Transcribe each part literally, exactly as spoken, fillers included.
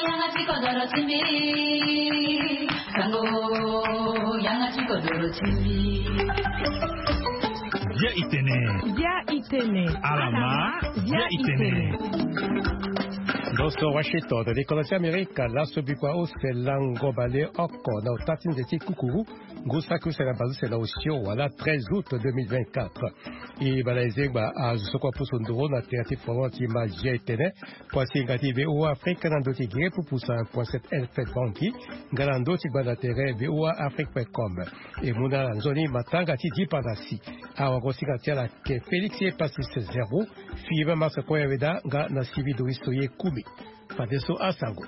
Yanga ti kodoro ti mbi. Sango, yanga ti kodoro ti mbi. Bia itene. Bia itene. Alama. Bia itene. Ndo so Washington, likolo ti Amerika, laso bikua use lango bale oko na ota ti nze ti kukuru, ngu saki use na baleuse na osio wala treize août deux mille vingt-quatre. E bala ezengba azo so kua pusu nduru na tere ti Florent ti ma Bia itene. Kua singa ti V O A Afrique na ndo ti gere pupusa point sept F M Bangi, nga na ndo ti gbanda tere V O A Afrique point com. E mu na ala nzoni matanga ti dipanda si. Awagosinga ti ala ke Félix Epasis Zerbo, Philippe Marc Koyaveda nga na Sylvie Doris Toye Kumi. Fadeso asango.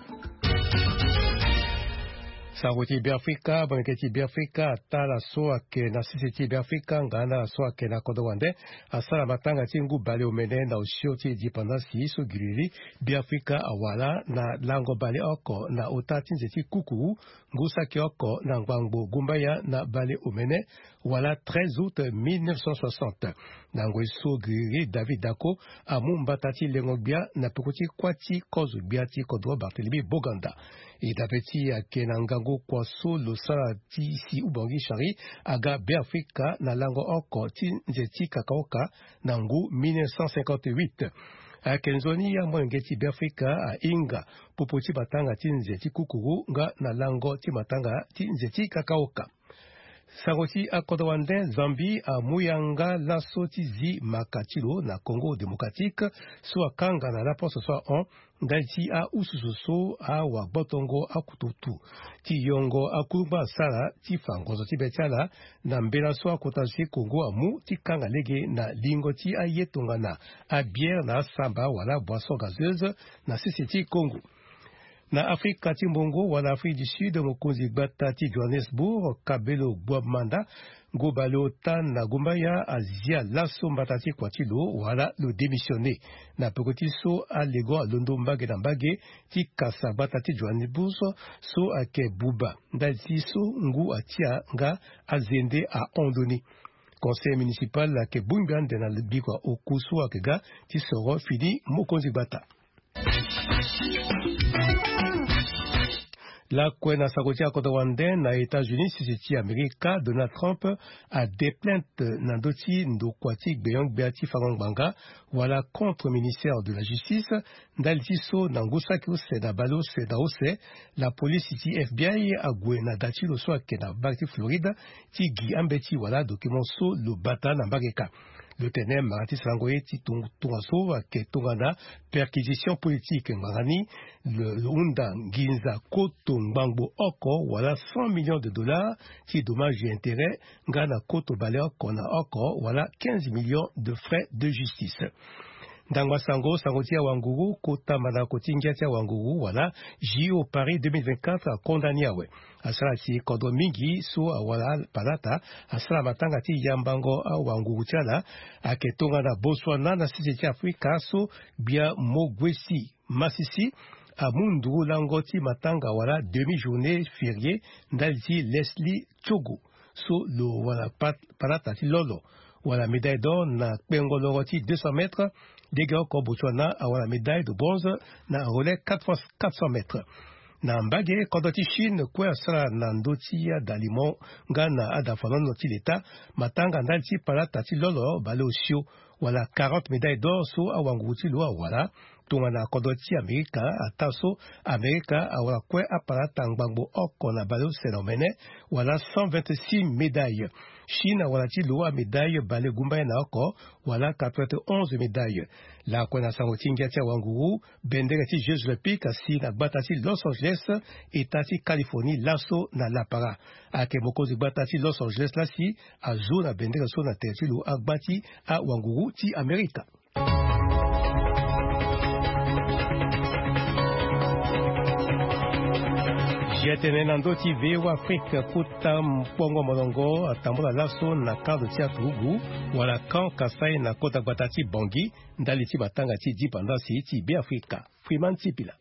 Sango ti Beafrika, molenge ti Beafrika, ata ala so ayeke na sese ti Beafrika nga na ala so ayeke na kodro wande asara matanga ti ngu baleomene na osio ti dipanda si so giriri Beafrika awara na lango bale oko na ota ti nze ti kukuru, ngu saki oko na ngbangbo gumbaya na baleomene, wala treize août mille neuf cent soixante. Na ngoi so giriri David Dacko amu mbata ti lengo gbia na peko ti kuâ ti kozo gbia ti kodro Barthélemy Boganda. E dape ti ayeke na ngangu kua so lo sara ti si Oubangui Chari aga Beafrika na lango oko ti nze ti kakaoka na ngu mille neuf cent cinquante-huit. Ayeke nzoni amolenge ti Beafrika ahinga popo ti matanga ti nze ti kukuru nga na lango ti matanga ti nze ti kakaoka. Sango ti akodro wande, Zambie amu yanga laso ti zi maka ti lo na Congo Démocratique so akanga na laposo so ahon ndali ti aususu so awagbotongo akututu ti yongo akungba asara ti fa ngonzo ti be ti ala na mbela so akota zo ti Congo amu ti kanga lege na lingo ti aye tongana abière na asamba wala boisson gazeuse na sese ti Congo. Na Afrika ti mbongo wala Afrique du Sud, mokonzi gbata ti Johannesburg, Kabelo Gbomanda, ngu baleota na gumbaya azia laso mbata ti kua ti lo wala lo démissionner. Na peko ti so alego alondo mbage na mbage ti kasa gbata ti Johannesburg so ayeke buba ndali ti so ngu atia nga azende ahon ndo ni. Conseil municipal ayeke bongbi ande na bikua oku so ayeke ga ti soro fini mokonzi gbata. Lakue na sango ti akodro wande, na États-Unis, sese ti Amerika, Donald Trump ade plainte na ndö ti ndokua ti gbenyo-gbia ti fango ngbanga wala contre ministère de la justice, ndali ti so na ngu saki use na baleuse na use, lapolisi ti F B I ague na da ti lo so ayeke na mbage ti Floride ti gi ambeti wala document so lo bata na mbage ka. Lo tene mara ti sarango ye ti tung- tongaso ayeke tongana perquisition politique ngbanga ni. Lo lo hunda nginza koto ngbangbo oko wala cent millions de dollars ti dommage et intérêt nga na koto baleoko na oko wala quinze millions de frais de justice. Ndangba sango, sango ti awanguru, kota mandako ti ngia ti awanguru wala J O Paris deux mille vingt-quatre akonda ni awe. Asara si kodro mingi so awara palata asara matanga ti yambango awanguru ti ala. Ayeke tongana Botswana na sese ti Afrika so gbia Mogwesi Masisi amu nduru lango ti matanga wala demi-journée fériée ndali ti Leslie Tiogo so lo wara pa- palata ti lolo wala médaille d'or na kpengo loro ti deux cents mètres. Legeoko Botswana awara médaille de bronze na relais quatre fois quatre cents mètres. Na mbage, kodro ti Chine kue asara na ndö ti adalimo nga na adafanono ti leta matanga ndali ti palata ti lolo baleosio wala quarante médailles d'or so awanguru ti lo awara. Tongana kodro ti Amerika, ataa so Amerika awara kue apalata ngbangbo oko na baleuse na omene wala cent vingt-six médailles. Chine awara ti lo amédaille balegumbaya na oko wala quatre-vingt-onze médailles. Lakue na sango ti ngia ti awanguru, bendere ti Jeux Olympiques asi na gbata ti Los Angeles, eta ti Californie laso na lapara. Ayeke mokonzi gbata ti Los Angeles lasi azo na bendere so na tere ti lo agba ti awanguru ti Amerika. Zia tene na ndö ti V O A Afrique, kota mpongo molongo atambula laso na kando ti aturugu wala Camp Kasaï na kota gbata ti Bangui ndali ti matanga ti dipandasi ti Beafrika. Freeman Sipila.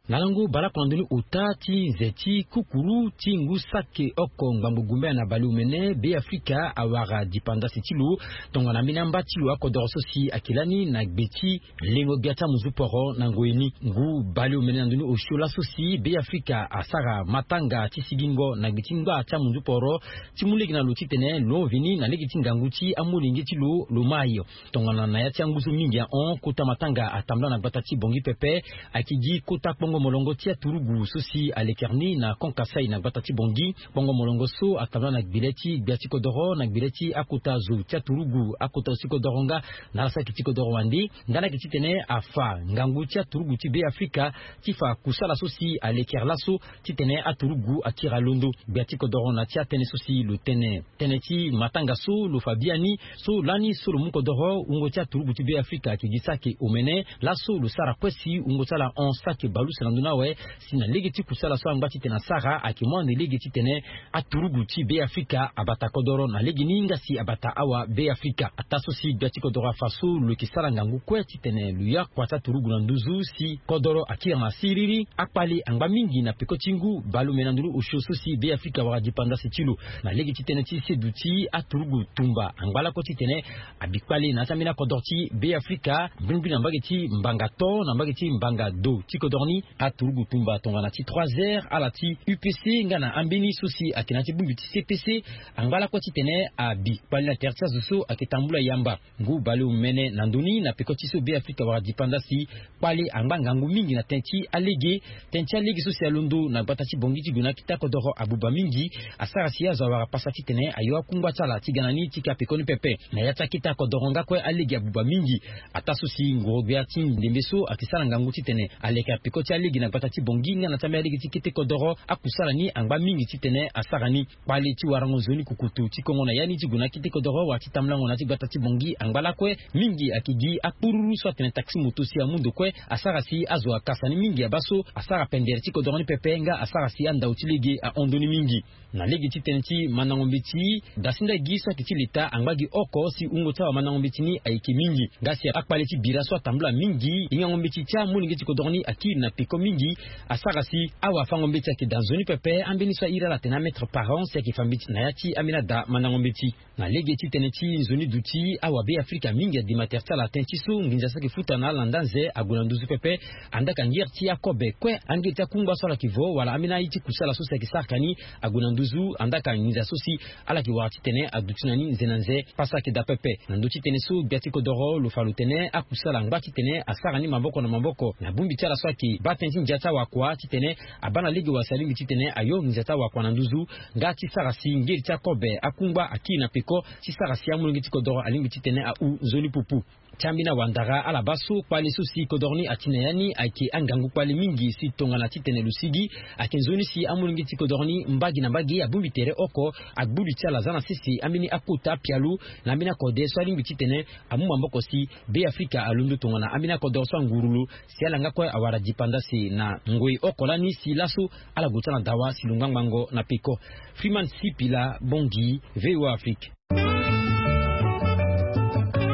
Na lango baleoko na ndoni ota ti nze ti kukuru ti ngu sake oko ngbangbo gumbaya na baleomene, Beafrika awara dipandasi ti lo tongana ambeni amba ti lo akodoro so si ayeke lani na gbe ti lengo gbia ti amunzu poro na ngoi ni. Ngu baleomene na ndoni osio laso si Beafrika asara matanga ti sigingo na gbe ti ngbaa ti amunzu poro ti mu lege na lo titene lo hon veni na lege ti ngangu ti amolenge ti lo lo mai. Tongana na ya ti angu so mingi ahon, kota matanga atambula na gbata ti Bangui pepe. Ayeke gi kota kpongo molongo ti aturugu so si alekere ni na Camp Kasaï na gbata ti Bangui. Kpongo molongo so atambula na gbele ti gbia ti kodoro na gbele ti akota zo ti aturugu, akota zo ti kodoro nga na ala so ayeke ti kodoro wande. Nga ni ayeke titene afa ngangu ti aturugu ti Beafrika ti fa kusala so si alekere laso titene aturugu akiri alondo. Gbia ti kodoro na ti atënë so si lo tene tënë ti matanga so lo fa biani, so lani so lo mu kodoro wungo ti aturugu ti Beafrika ayeke gi sake omene. Laso lo sara kue si wungo ti ala hon sake baleuse na ndoni awe, si na lege ti kusala so angba titene asara ayeke mu ande lege titene aturugu ti Beafrika abata kodoro na legeni nga si abata awa Beafrika. Ataa so si gbia ti kodoro afa so lo yeke sara ngangu kue titene lo ya kua ti aturugu na nduzu si kodoro akiri na siriri. Akpale angba mingi na peko ti ngu baleomene na ndoni osio so si Beafrika awara dipandasi ti lo. Na lege ti tënë ti seduti, aturugu tumba angba lakue titene abi kpale na ya ti ambeni akodoro ti Beafrika. Mbrimbri na mbage ti mbanga to na mbage ti mbanga do ti kodoro ni, aturugu tumba tongana ti trois R, ala ti U P C nga na ambeni so si ayeke na ya ti bongbi ti C P C angba lakue titene abi kpale na tere ti azo so ayeke tambula yamba. Ngu baleomene na ndoni na peko ti so Beafrika awara dipandasi, kpale angba ngangu mingi na tënë ti alege. Tënë ti alege so si alondo na gbata ti Bangui ti gue na akete akodoro abuba mingi, asara si azo awara pasa titene ayo akungba ti ala ti ga na ni ti ka peko ni pepe. Na ya ti akete akodoro nga kue alege abuba mingi. Ataa so si nguru-gbia ti ndembe so ayeke sara ngangu titene aleke apeko ti alege na gbata ti Bangui nga na ti ambeni alege ti kete kodoro, akusala ni angba mingi titene asara ni. Kpale ti warango nzoni kukutu ti kongo na ya ni ti gue na akete kodoro wala ti tambulango na ya ti gbata ti Bangui angba lakue. Mingi ayeke gi akpururu so atene taxi moto si amu ndo kue, asara si azo akasa ni mingi abaa so asara pendere ti kodoro ni pepe nga asara si andau ti lege ahon ndoni mingi. Na lege ti tënë ti mandango mbeti, dasinda gi so ayeke ti leta angba gi oko si wungo ti awamandango mbeti ni ayeke mingi. Nga si akpale ti bira so atambula mingi, hingango mbeti ti amolenge ti kodoro ni akiri na peko mingi. Asara si awafango mbeti ayeke daa nzoni pepe, ambeni so airi ala atene amètre par an si ayeke fa mbeti na ya ti ambeni ada mandango mbeti. Na lege ti tënë ti nzoni duti, awabeafrika mingi adima tere ti ala tënë ti so nginza so ayeke futa na ala na nda nze ague na nduzu pepe. Andaa ka ngiri ti akobe kue, angiri ti akungba so ala yeke vo wala ambeni aye ti kusala so si ayeke sara ka ni ague na nduzu. Andaa ka nginza so si ala yeke wara titene aduti na ni nze na nze. Pasa ayeke daa pepe. Na ndö ti tënë so gbia ti kodoro lo fa lo tene akusala angba titene asara ni maboko na maboko na bongbi ti ala so ayeke baa tënë ti ndia ti awakua titene abaa na lege wala si alingbi titene ayo nginza ti awakua na nduzu. Nga ti sara si ngeri ti akobe akungba akiri na peko ti sara si amolenge ti kodoro alingbi titene ahu nzoni pupu. Ti ambeni awandara ala baa so kpale so si kodoro ni ati na ya ni ayeke angangu kpale mingi si tongana titene lo sigi. Ayeke nzoni si amolenge ti kodoro ni mbage na mbage abongbi tere oko. Agbudu ti ala aza na sese ambeni akota apialo na ambeni akode so alingbi titene amu maboko si Beafrika alondo tongana ambeni akodoro so anguru lo si ala nga kue awara dipandase na ngoi oko lani si laso ala gue ti ala na dawa si lo ngbangbango na peko. Freeman Sipila, Bangui, VOA Afrique.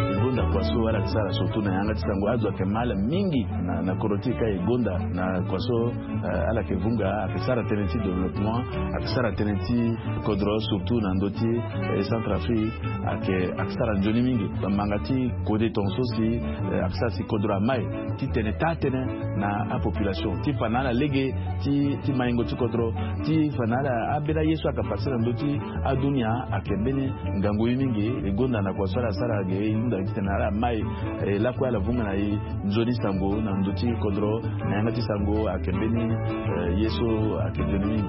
E gonda kua so ala yeke sara surtout na yanga ti sango azo ayeke mal mingi na, na kodro ti e ka e gonda na kua so, eh, ala yeke vunga ayeke sara tënë ti développement, ayeke sara tënë ti kodro surtout na ndö ti, eh, Centrafrique ayeke, ayeke sara nzoni mingi. Bamanga ti kode tongaso si, eh, ayeke sara si kodro amai ti tene taa-tënë na apopulation ti fa na ala lege ti, ti maingo ti kodro, ti fa na ala ambeni aye so ayeke pase na ndö ti adunia ayeke mbeni ngangu ye mingi. E gonda na kua so ala sara ge e hunda titene ala mai, eh, lakue ala vunga na e nzoni sango na ndö ti kodro na yanga ti sango ayeke mbeni, eh, ye so ayeke nzoni mingi.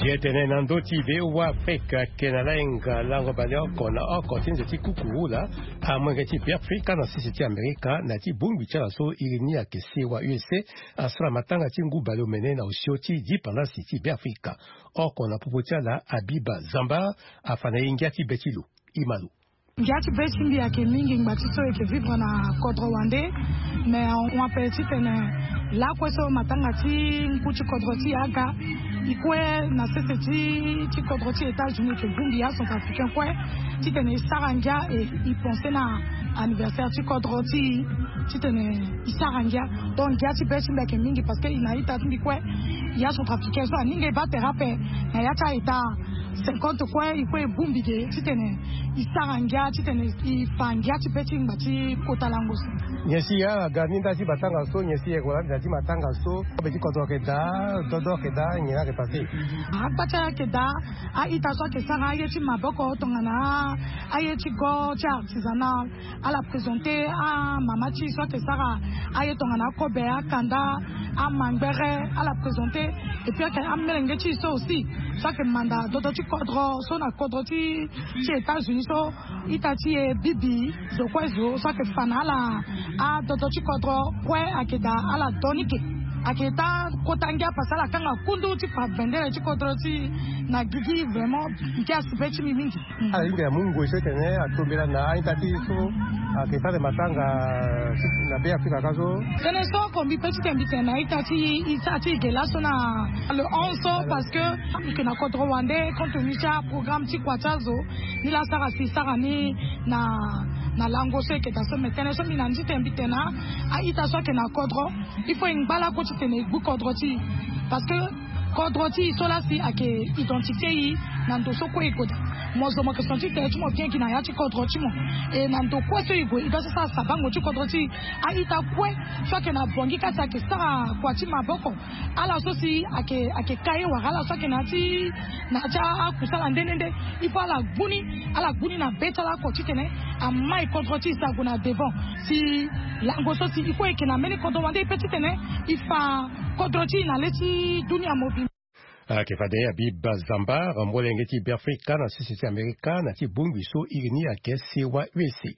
Jetene na ndö ti VOA Afrique ayeke na lahinga lango baleoko na oko ti nze ti kuku hula. Amolenge ti Beafrika na sese ti Amerika na ya ti bongbi ti ala so iri ni ayeke sewa U S A asara matanga ti ngu baleomene na osio ti dipandasi ti Beafrika. Oko na popo ti ala Abiba Zamba afa na e ngia ti be ti lo. Ima lo. Ngia ti be ti mbi ayeke mingi ngbanga ti so e yeke vivre na kodro wande. Mais on appelle titene lakue so matanga ti ngu ti kodro ti e aga, e kue na sese ti ti kodro ti États-Unis e yeke bongbi acentrafricain kue titene e sara ngia e e pense na anniversaire ti kodro ti e titene e sara ngia. Donc ngia ti be ti mbi ayeke mingi parce que e na ita ti mbi kue, ya centrafricain so aninga e baa tere ape na ya ti a-ita cinquante kue e kue e bongbi ge titene e sara ngia titene e fa ngia ti be ti ngba ti kota lango so. Nyen si ya aga ni nda ti matanga so, nyen si e yeke wara nda ti matanga so? Kobe ti kodro ayeke daa, dodo ayeke daa, nyen ayeke pase? Akpa ti ayeke daa. A-ita so ayeke sara aye ti maboko tongana aye ti go ti artisanal, ala présente amama ti e so ayeke sara aye tongana akobe, akanda, amangbere, ala présente. Et puis ayeke amelenge ti e so aussi so ayeke manda dodo ti kodro so na kodro ti ti États-Unis so ita ti e bibi zo kue zo so ayeke fa na ala adodo ti kodro kue ayeke daa ala do ni ke. Ayeke taa kota ngia parce que ala kanga kundu ti fa bendere ti kodro ti e na gigi vraiment. Ngia si be ti mbi mingi. Ala hinga amu ngoi so tene atombela na a-ita ti e so ayeke sara matanga na Be Afrika ka so. Tënë so oko mbi pe ti tene mbi tene na ita ti e, e sara ti e ge laso na le onze so parce que e yeke na kodro wande compte tenu ti aprogramme ti kua ti azo. Ni laa asara si e sara ni na na lango so e yeke daa so. Mais tënë so mbi na ni ti tene mbi tene na a-ita so ayeke na kodro, il faut e ngba lakue titene e gbu kodro ti e. Parce que kodro ti e so laa si ayeke identité e na ndo so kue e gue daa. Mo zo mo yeke senti tere ti mo bien gi na ya ti kodro ti mo. E na ndo kue so e gue e doit ti sara sabango ti kodro ti e. A-ita kue so ayeke na Bangui ka si ayeke sara kua ti maboko, ala so si ayeke ayeke ka ye wala ala so ayeke na ya ti na ya ti akusala nde nde nde, il faut ala gbu ni, ala gbu ni na be ti ala oko titene amai kodro ti e si ague na devant. Si lango so si il faut e yeke na mbeni kodro wande e pe titene e fa kodro ti e na le ti dunia mobimba. Ayeke fade Habib Zambar, molenge ti Beafrika na sese ti Amerika na ya ti bongbi so iri ni ayeke Sewa U S A.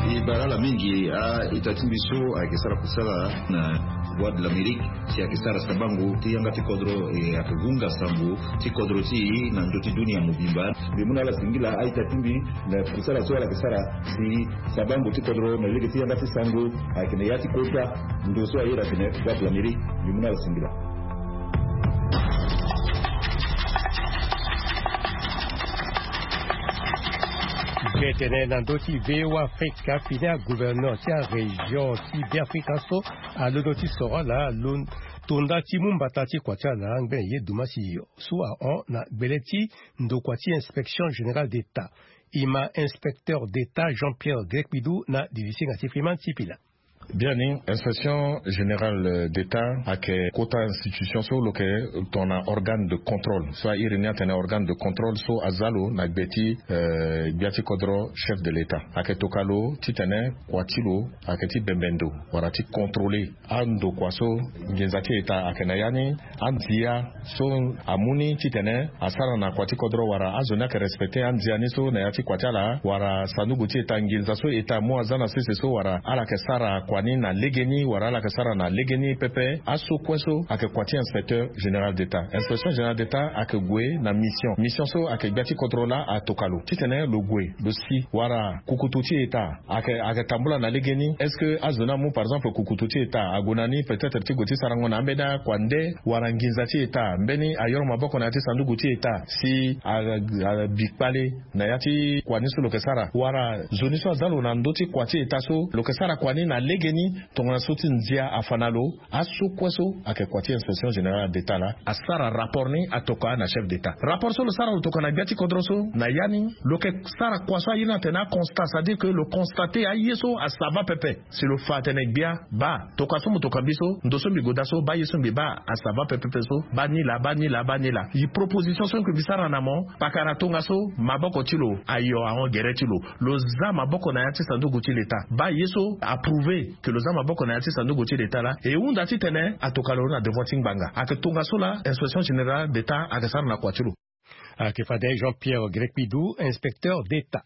E bara ala mingi a-ita ti mbi so ayeke sara kusala na Voix de l'Amérique si ayeke sara sabango ti yanga ti kodro, e ayeke hunga sango ti kodro ti e na ndö ti dunia mobimba. Mbi mu na ala singila a-ita ti mbi na kusala so ala yeke sara si sabango ti kodro na lege ti yanga ti sango ayeke na ya ti kota ndo so aye na tene Voix de l'Amérique. Mbi mu na ala singila. Mbi tene na ndö ti V O A Afrika fini agouverneur ti arégion ti Beafrika so alondo ti soro ala lo tonda ti mu mbata ti kua ti ala ngbene ye dumasi so ahon na gbele ti ndokua ti inspection générale d'État. E ma inspecteur d'État Jean-Pierre Grekpidou na didisinga ti Freeman Sipila. Biani, inspection générale d'État ayeke kota institution so lo yeke tongana organe de contrôle so a iri ni atene organe de contrôle so aza lo na gbe ti, eh, gbia ti kodro chef de l'État. Ayeke toka lo titene kua ti lo ayeke ti bembe ndo wala ti contrôler andokua so nginza ti État ayeke na ya ni, andia so amu ni titene asara na kua ti kodro wala azo ni ayeke respecter andia ni so na ya ti kua ti ala wala sanduku ti État, nginza so État amu aza na sese so wala ala yeke sara kua ni na legeni wala ala yeke sara na legeni pepe. Aso kue so ayeke kua ti inspecteur général d'État. Inspection générale d'État ayeke gue na mission. Mission so ayeke gbia ti kodro laa atoka lo titene lo gue lo si wala kukutu ti État ayeke, ayeke tambula na legeni. Est-ce que azo ni amu par exemple kukutu ti État ague na ni peut-être ti gue ti sarango na ambeni akua nde wala nginza ti État mbeni ayoro maboko na ya ti sanduku ti État si a, a, abi kpale na ya ti kua ni so lo yeke sara wala zo ni so aza lo na ndö ti kua ti État so lo yeke sara kua ni na legeni tongana so ti ndia afa na lo. Aso kue so ayeke kua ti inspection générale d'État laa asara rapport ni atoka na chef d'État. Rapport so lo sara lo toka na gbia ti kodro so na ya ni lo yeke sara kua so aye ni atene aconstat, c'est-à-dire que lo constate aye so asa va pepe. Si lo fa atene gbia baa toka so mo toka mbi so, ndo so mbi gue daa so, baa ye so mbi baa asa va pepepe so, baa ni laa, baa ni laa, baa ni laa. E proposition so mbi sara na mo pakara tongaso maboko ti lo ayo ahon gere ti lo. Lo za maboko na ya ti sanduku ti l'État. Baa ye so aprouve ke lo za maboko na ya ti sanduku ti l'État laa e hunda titene atoka lo na devant ti ngbanga. Ayeke tongaso laa inspection générale d'État ayeke sara na kua ti lo. Ayeke fade Jean-Pierre Grekpidou, inspecteur d'État.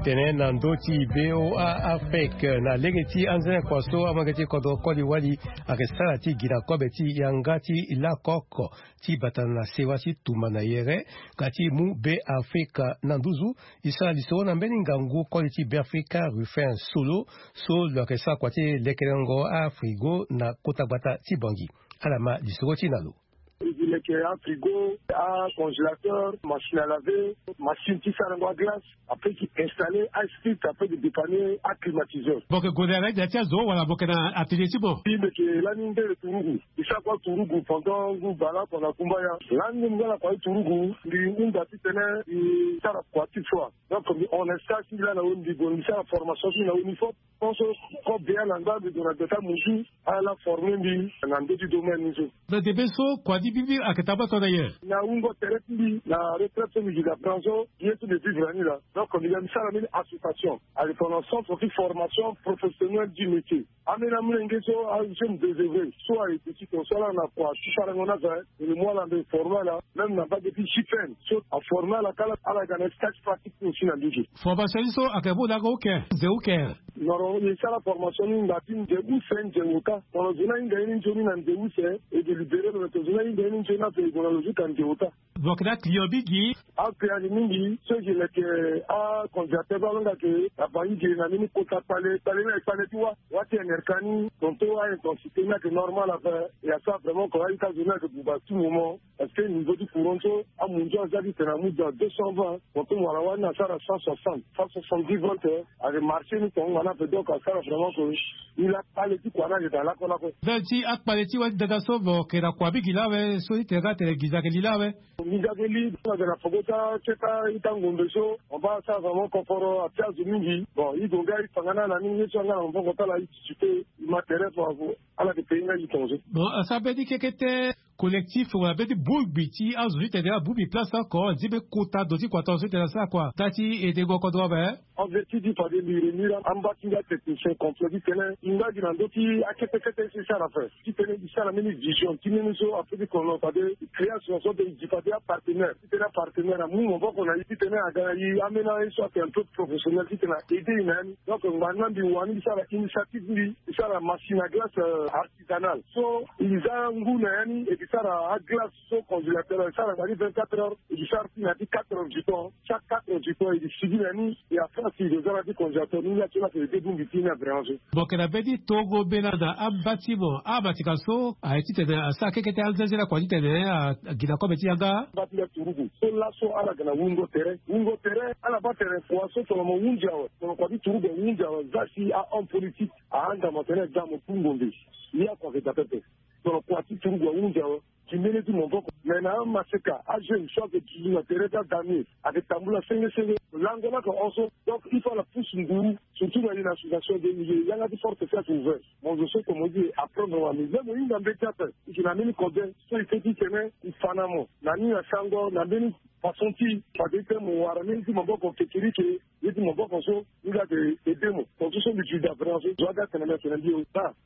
Tene na ndö ti be o a afrique na lege ti anzene kua so amolenge ti kodro koli wali ayeke sara ti gi na kobe ti yanga ti lakoko ti bata na sewa ti tumba na yere. Nga ti mu be afrika na nduzu. E sara lisoro na mbeni ngangu koli ti be afrika ruffin solo so lo yeke sara kua ti lekerengo afrigo na kota gbata ti bangi. Ala ma lisoro ti na lo. E gi leke afrigo, acongélateur, machine à laver, machine ti sarango aglace. Après ti installer ice fit après ti dépanner aclimatiseur. Boke gonda na ida ti azo wala boke na atelier ti mo? Ti meke lani ndele turugu. E sara kua turugu pendant ngu bala pendant kumbaya. Lani ngu nga na kua ti turugu mbi hunda ti tene e sara kua ti foi. Donc mbi hon na stage ti mbi lani na weni mbi gue mbi sara formation ti mbi na weni fop. Pense kobea na nda mbi gue na deta muzu. Ala forme mbi na ndö ti domaine ni so. Na debe so kua ti bibi ayeke tamba tongana nyen? Na wungo tere ti mbi na retraite so mbi gi na bran so ye so mbi vivre na ni laa. Donc mbi ga mbi sara mbeni association ayeke tongana centre ti formation professionnelle du métier. Ambeni amolenge so ajeune désœuvré so ayeke ti ton so ala na kua ti sarango ni aza. Mbi mu ala mbi forme ala même na mbage ti jpn so aforme ala kala ala ga na stage pratique ti aussi na ndö ti. Formation ni so ayeke mu na oko oke? Nze oke? Noro e sara formation ni ngba ti nze use nze ota. Tongana zo ni ahinga ye ni nzoni na nze use e délibéré lo na tongana zo ni ahinga ye ni nzoni ape e gue na lo jusqu'à nze ota. Lo yeke na aclient mingi. Aclient ayeke mingi so e yeke leke acongélateur so alonga ayeke na bangi ge na mbeni kota kpale kpale ni ayeke kpale ti wâ. Wâ ti nrk ni tonton a intensité ni ayeke normal ape. E asara vraiment ko a-ita zo ni ayeke buba tout moment. Parce que niveau ti courant so amunzu aza ti tene amu dans deux cent vingt. Tonton mo wara wâ ni asara cent soixante, cent soixante-dix volts. Ayeke marché ni tonga na pe donc asara vraiment ko. Ni la kpale ti kua ni ayeke daa lakue lakue. Ve ti akpale ti wâ ti dada so mo yeke na kua mingi laa awe so ti tene nga atene nginza ayeke li laa awe. Nginza ayeke li. Ayeke na poko ti aketa ita ngombe so on va asara vraiment koforo api azo mingi. Bon i gue nga i fa nga na ala mingi ye so anga na maboko ti ala i titi te. I ma tere fo avu. Ala yeke pei nga i tongaso. Bon asara mbeni kekete collectif wala mbeni bongbi ti azo ti tene abongbi place oko nzimbe kota ndo ti kua tongaso ti tene asara kua nga ti edengo kodro ape. Objectif ti fade mbi réunir amba ti nga technicien complet ti tene i nga gi na ndö ti akete kete so i sara ape. Ti tene i sara mbeni vision ti mbeni so ape ti kono fade i création so de i gi fade apartenaire ti tene apartenaire amu maboko na i ti tene aga na i ambeni aye so ayeke un peu professionnel ti tene a aide i na ya ni. Donc ngba ni na mbi wani mbi sara initiative mbi mbi sara machine à glace artisanale so i za ngu na ya ni e mbi sara aglace so congélateur e sara na ya ni vingt-quatre heures. E mbi sara ti na ya ti quatre heures du temps. Chaque quatre heures du temps e mbi sigi na ya ni. E après si e za na ya ti congélateur ni la ti la ke e debongbi ti ni na vraiment so. Mo yeke na mbeni tongo mbela na amba ti mo amatika so aye titene asara kekete anzenze lakua titene agi na kobe ti yanga. Amba ti nga turugu so laso ala ga na wungo tere wungo tere ala baa tere kua so tongana mo hunzi awe tongana kua ti turugu ahunzi awe za si ahomme politique ahanda mo tene da mo kungombe. Ye akua ke da pepe. Tongana kua ti turugu ahunzi awe. Ti mbeni ti maboko me na amaseka ajeune so ayeke duzu na tere ti adami ayeke tambula senge senge. Lango ni ayeke hon so donc il faut ala pousse nguru surtout na ye na association de milieu yanga ti forte si ayeke ouvert. Mo zo so tomo ti e apprendre wani me mo hinga mbeti ape. E yeke na mbeni kode so e ke ti tene e fa na mo na ni na sango na mbeni façon ti fade ti tene mo wara mbeni ti maboko kekerike. Ye ti maboko so ni ga ayeke aide mo. Tongaso so mbi gi da vraiment so zo aga atene mbi atene mbi o.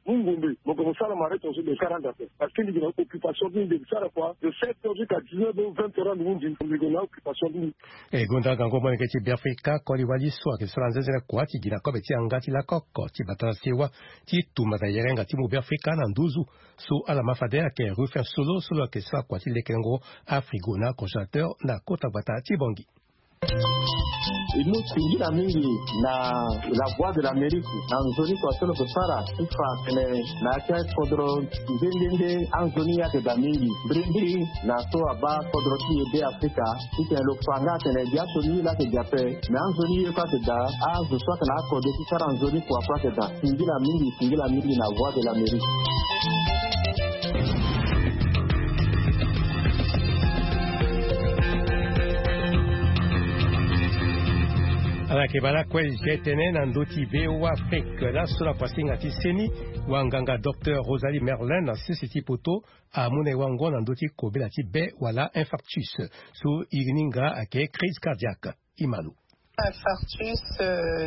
Mu ngombe mo gue mo sara mare tongaso mbi sara ande ape. Parce que mbi gi na occupation ti mbi mbi sara kua de sept heures jusqu'à dix-neuf heures vingt heures ande hunzi mbi gue na occupation ti mbi. E gonda gango molenge ti beafrika koli wali so ayeke sara nzenzele kua ti gi na kobe ti yanga ti lakoko ti bata na sewa ti tumba na yerenga ti mu beafrika na nduzu. So ala ma fade ayeke ruffin solo so lo yeke sara kua ti lekerengo afrigo na congélateur na kota gbata ti bongi. E mu singila mingi na la voix de l'amérique na nzoni kua so lo yeke sara ti fa atene na ya ti akodro nde nde nde anzoni ayeke daa mingi mbirimbiri na so abaa kodro ti e be afrika. Titene lo fa nga atene biaso ni ye laa ayeke daa ape. Me anzoni ye kue ayeke daa azo so ayeke na akode ti sara nzoni kua kue ayeke daa. Singila mingi singila mingi na voix de l'amérique. Ala yeke baa lakue. Zi tene na ndö ti voa afrique laso na kuasinga ti seni wanganga docteur rosalie merlin na sese ti poto amu na e wango na ndö ti kobela ti be wala infarctus so iri ni nga ayeke crise cardiaque. Imalo. Infarctus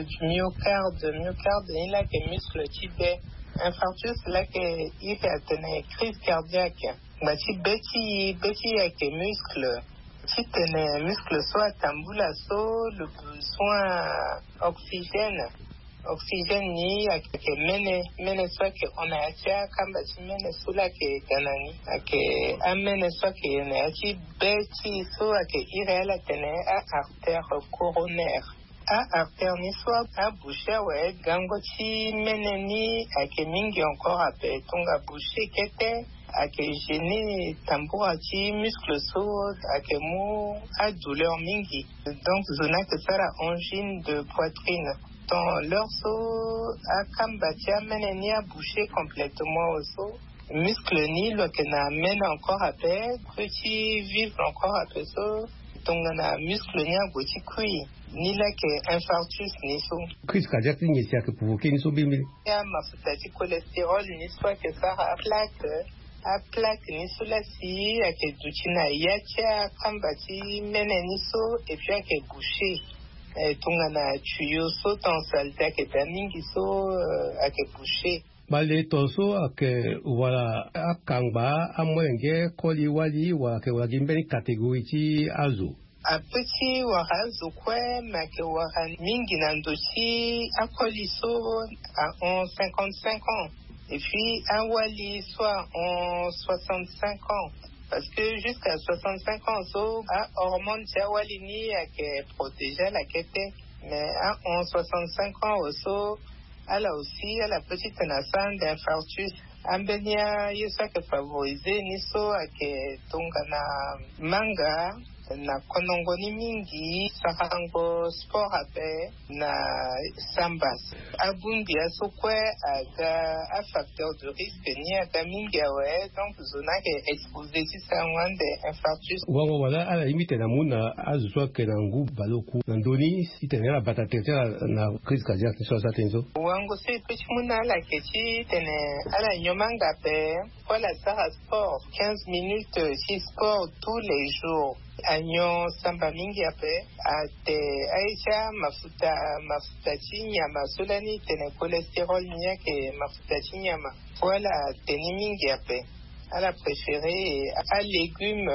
du myocarde myocarde ni laa ayeke muscle ti be. Infarctus laa ayeke iri atene crise cardiaque. Ngba ti be ti e be ti e ayeke muscle. Titene muscle so atambula so, le besoin oxygène. Oxygène ni ayeke mene, mene so ayeke hon na ya ti akamba ti mene so la ayeke ga na ni. Ayeke amene so ayeke na ya ti be ti e so ayeke iri ala tene a-artère coronaire. A-artère ni so aboucher awe, gango ti mene ni ayeke mingi encore ape, tongana boucher kete ayeke gêner tambula ti muscle so ayeke mu adouleur mingi. Donc zo ni ayeke sara angine de poitrine. Tant l'heure so akamba ti amene ni aboucher complètement oso, muscle ni lo yeke na mene encore ape, peut ti vivre encore ape so, tongana muscle ni ague ti kui, ni la ayeke infarctus ni so. Crise cardiaque ti nyen si ayeke provoquer ni so mbirimbiri? Amafuta ti cholestérol ni so ayeke sara aplaque. Aplaque ni so la si ayeke duti na ya ti akamba ti mene ni so, et puis ayeke boucher. Eh, tongana tuyau so tant saleté ayeke daa mingi so, eh, ayeke boucher. Bale ton so ayeke wala akangba amolenge koli wali wala ayeke wala gi mbeni catégorie ti azo? Ape ti wara azo kue, me ayeke wara mingi na ndo ti akoli so ahon cinquante-cinq ans, et puis awali so ahon soixante-cinq ans. Parce que jusqu'à soixante-cinq ans so ahormone ti awali ni ayeke protéger ala kete. Mais ahon soixante-cinq ans oso, ala aussi ala peut ti tene asara ande infarctus. Ambeni aye so ayeke favoriser ni so ayeke tongana manga, na konongo ni mingi, sarango sport ape, na samba. Abongbi aso kue aga afacteur de risque ni aga mingi awe, donc zo ni ayeke exposé ti sarango ande infarctus. Wango wala ala yingi tene amu na azo so ayeke na ngu baleoku na ndö ni titene ala bata tere ti ala na crise cardiaque so asara tënë so? Wango so e peut ti mu na ala ayeke titene ala nyon manga ape, fo ala sara sport quinze minutes ti sport tous les jours. Anyon samba mingi ape. Ate aye ti amafuta, mafuta ti nyama so lani tene cholestérol ni ayeke mafuta ti nyama. Fo ala te ni mingi ape. Ala préféré alégume,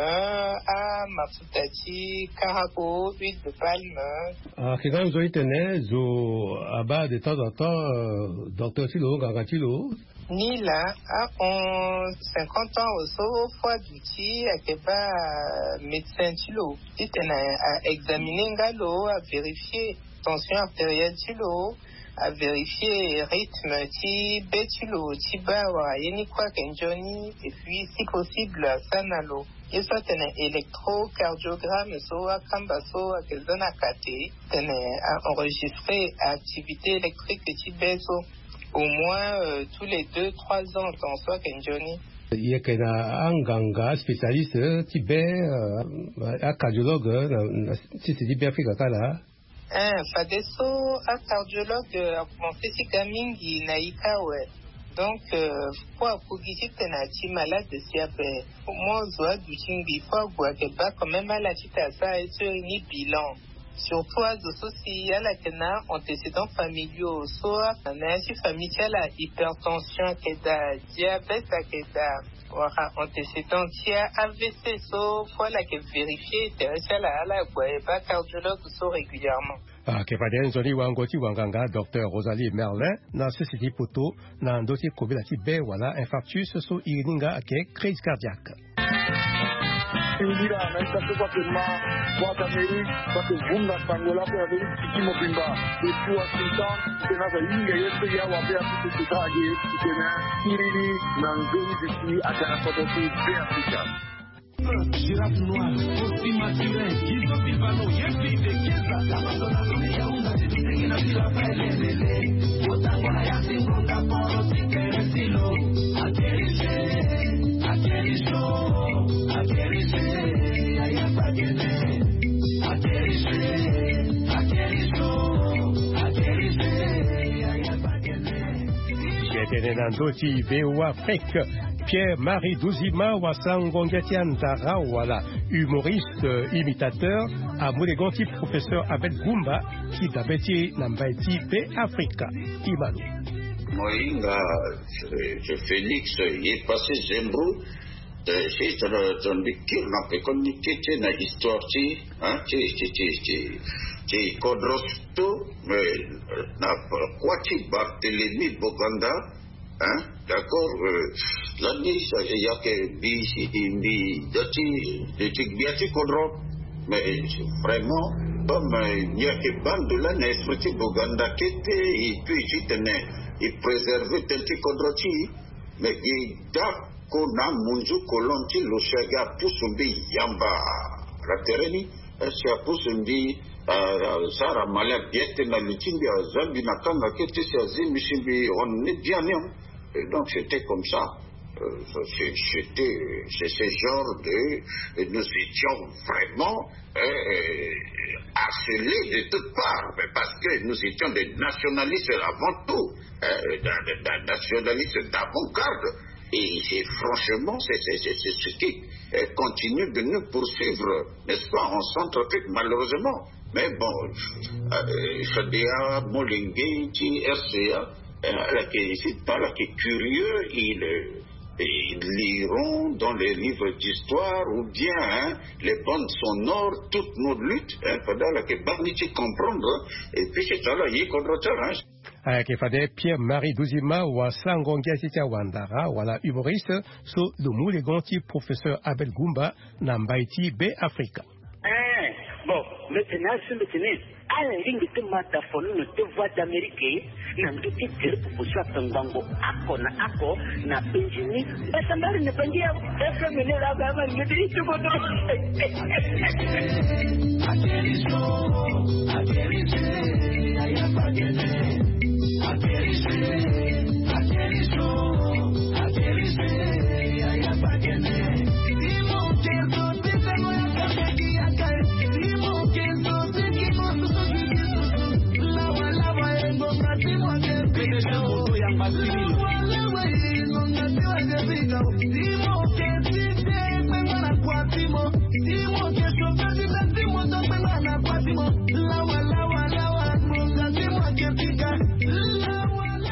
amafuta ti karago, huile de palme. Ayeke nga nzoni tene zo abaa de temps en temps, euh, docteur ti lo, nganga ti lo. Ni la ahon cinquante ans oso, fo aduti ayeke baa médecin ti lo titene a examiner nga lo, a vérifier tension artérielle ti lo, a vérifier rythme ti be ti lo ti baa wala ye ni kue ayeke nzoni, et puis si possible asara na lo ye so atene électrocardiogramme so akamba so ayeke za na kate, tene a enregistrer activité électrique ti be so au moins, euh, tous les deux trois ans, temps so ayeke nzoni. Ye yeke na anganga spécialiste ti be, euh, acardiologue, euh, na, na sese ti Beafrika kâ laa? Eh, fadeso acardiologue, euh, akomanse ti ga mingi na e kâ awe. Donc, euh, fo akogi titene ati malade si ape. Mo zo aduti ngbii fo ague ayeke baa quand même ala titene asara ye so iri ni bilan. Surtout azo so si ala yeke na antécédents familiaux so, na ya ti famille ti ala hypertension ayeke daa, diabète ayeke daa, wala antécédent ti AVC so, fo ala yeke vérifier tere ti ala, ala gue baa cardiologue so régulièrement. Ayeke fade nzoni wango ti wanganga docteur Rosalie Merlin na sese ti poto na ndö ti kobela ti be wala infarctus so iri ni nga ayeke crise cardiaque. Singila na ita so kue ayeke ma, Voix d'Amérique so ayeke vunga sango lakue na ndö ti tiki mobimba. Depuis Washington, titene aza hinga ye so ya wabe ape ti sika age titene iri ni na nzoni duti aga na kodro ti Beafrika. Giraffe noire, Costi Maturin, Guido Pivano, Yepi de Chiesa. Ti tene na ndö ti V O A Afrique, Pierre-Marie Duzima, wasango ngia ti andara wala humoriste, euh, imitateur, amu legon ti professeur Abed Goumba ti dabe ti e na mbai ti Beafrika. Ti ma lo. Mo hinga, euh, Félix, ye passé Zembro, Si tongana mbi kiri na pekoni ti e ti e na histoire ti e ti e ti e ti e ti e ti e kodro so, mais na kua ti Barthélemy Boganda. D'accord. Lani, ya ke mbi si mbi da ti de ti gbia ti kodro. Mais vraiment, comme ya ke bando lani na esprit ti Boganda kete, e tu e ti tene e préserver tene ti kodro ti e. Mais e dako na munzu kolon ti lo si aga pusu mbi yamba na tere ni. Si apusu mbi, asara mali abia tena li ti mbi, aza mbi na kanga kete si azi mbi si mbi hon ni biani. Et donc c'était comme ça. C'était c'est ce genre de nous étions vraiment harcelés de toutes parts, mais parce que nous étions des nationalistes avant tout, nationalistes d'avant-garde. Et c'est franchement c'est ce qui continue de nous poursuivre, n'est-ce pas, en Centrafrique, malheureusement. Mais bon, fade ya molenge ti RCA, ala ke ici pas, ala ke curieux, ils liront dans les livres d'histoire ou bien les bandes sonores toutes nos luttes, fade ala ke baa ni ti comprendre. Et puis c'est ça là, ye kodro ti ala. Ayeke fade Pierre Marie Duzima, wasango ngia ti ti awandara wala humoriste, so lo mu legon ti professeur Abel Gumba na mbai ti Be Afrika. Bon, mbi tene asi mbi tene ala lingbi ti mata folono ti Voix d'Amérique na ndu ti groupe poso ape ngbangbo ako na ako na penzi ni. Basambari na penzi ya FM ni la ba ma ngi ti ti koto.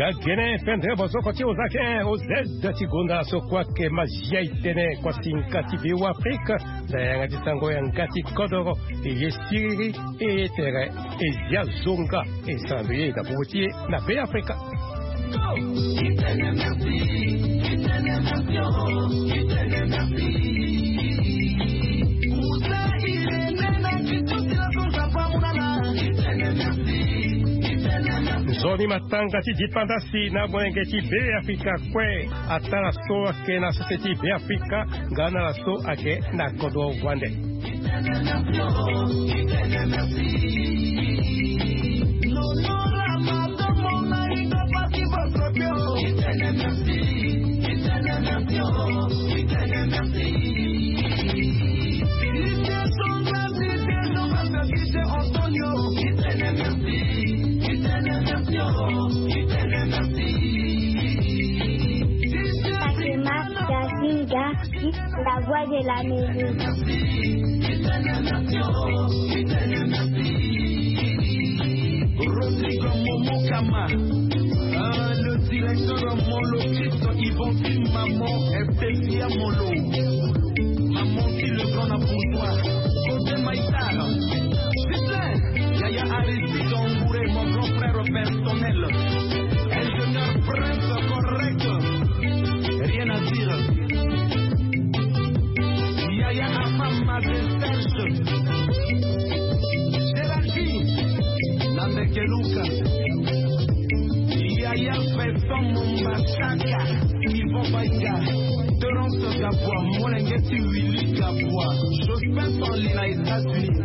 Ga gene fendre bozoko ti ozake ozed ti gonda so kue ayeke mazia itene kuasinga ti Be Afrika. Na yanga ti sango yanga ti kodoro, e ye siriri, e ye tere, e zia zonga, e sara mbi ye na popo ti e na Be Afrika. Nzoni matanga ti dipandasi na molenge ti Be Afrika kue. Atara so ayeke na sese ti Be Afrika nga na ala so ayeke na kodro wande. Fatima Yasinga, la voix de l'Amérique. Rodrigue Momokama, le directeur Molokito, Yvon Maman, Estesia Molo. Maman qui le grand na pouvoir. Côté Maïtar, Yaya Aristide Ngouré, mon grand frère personnel. Ingénieur Prince correct. Rien à dire. Yaya Afam Maze Serge. Géraldine. Nambekeluka. Yaya Vincent Mombasaka. Yvon Baïga. Terence Gabwa. Molenge ti Willy Gabwa. Jospin Stanley na États-Unis.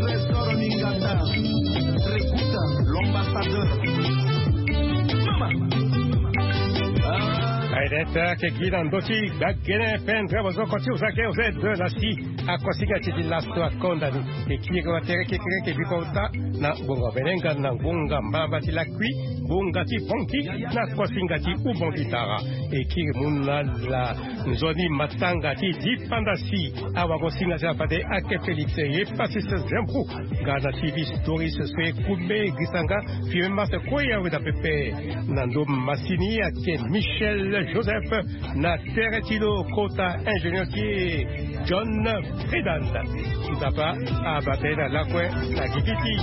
Trésor Mingata, Trekuta, l'ambassadeur. Mama. Aye, dete ayeke gi na ndö ti gbagene pendre bozoko ti ozake ozed na si. Akosinga ti ti laso akonda ni. E kiri wa tere kekereke biko ota na ngonga belenga na ngonga mbalamba ti lakui, ngonga ti bongi na kosinga ti ubongi tara. E kiri mu na la nzoni matanga ti dipandasi. Awagosinga ti la fade ake Félix ye Pasis Zembrou. Nga na T V Stories so e kume grisanga. Fime masa kue awe na pepe. Na ndo masini ake Michel Joseph, na tere ti lo kota ingénieur ti e John Fredan. Nzapa abata ye na lakue na gigi ti.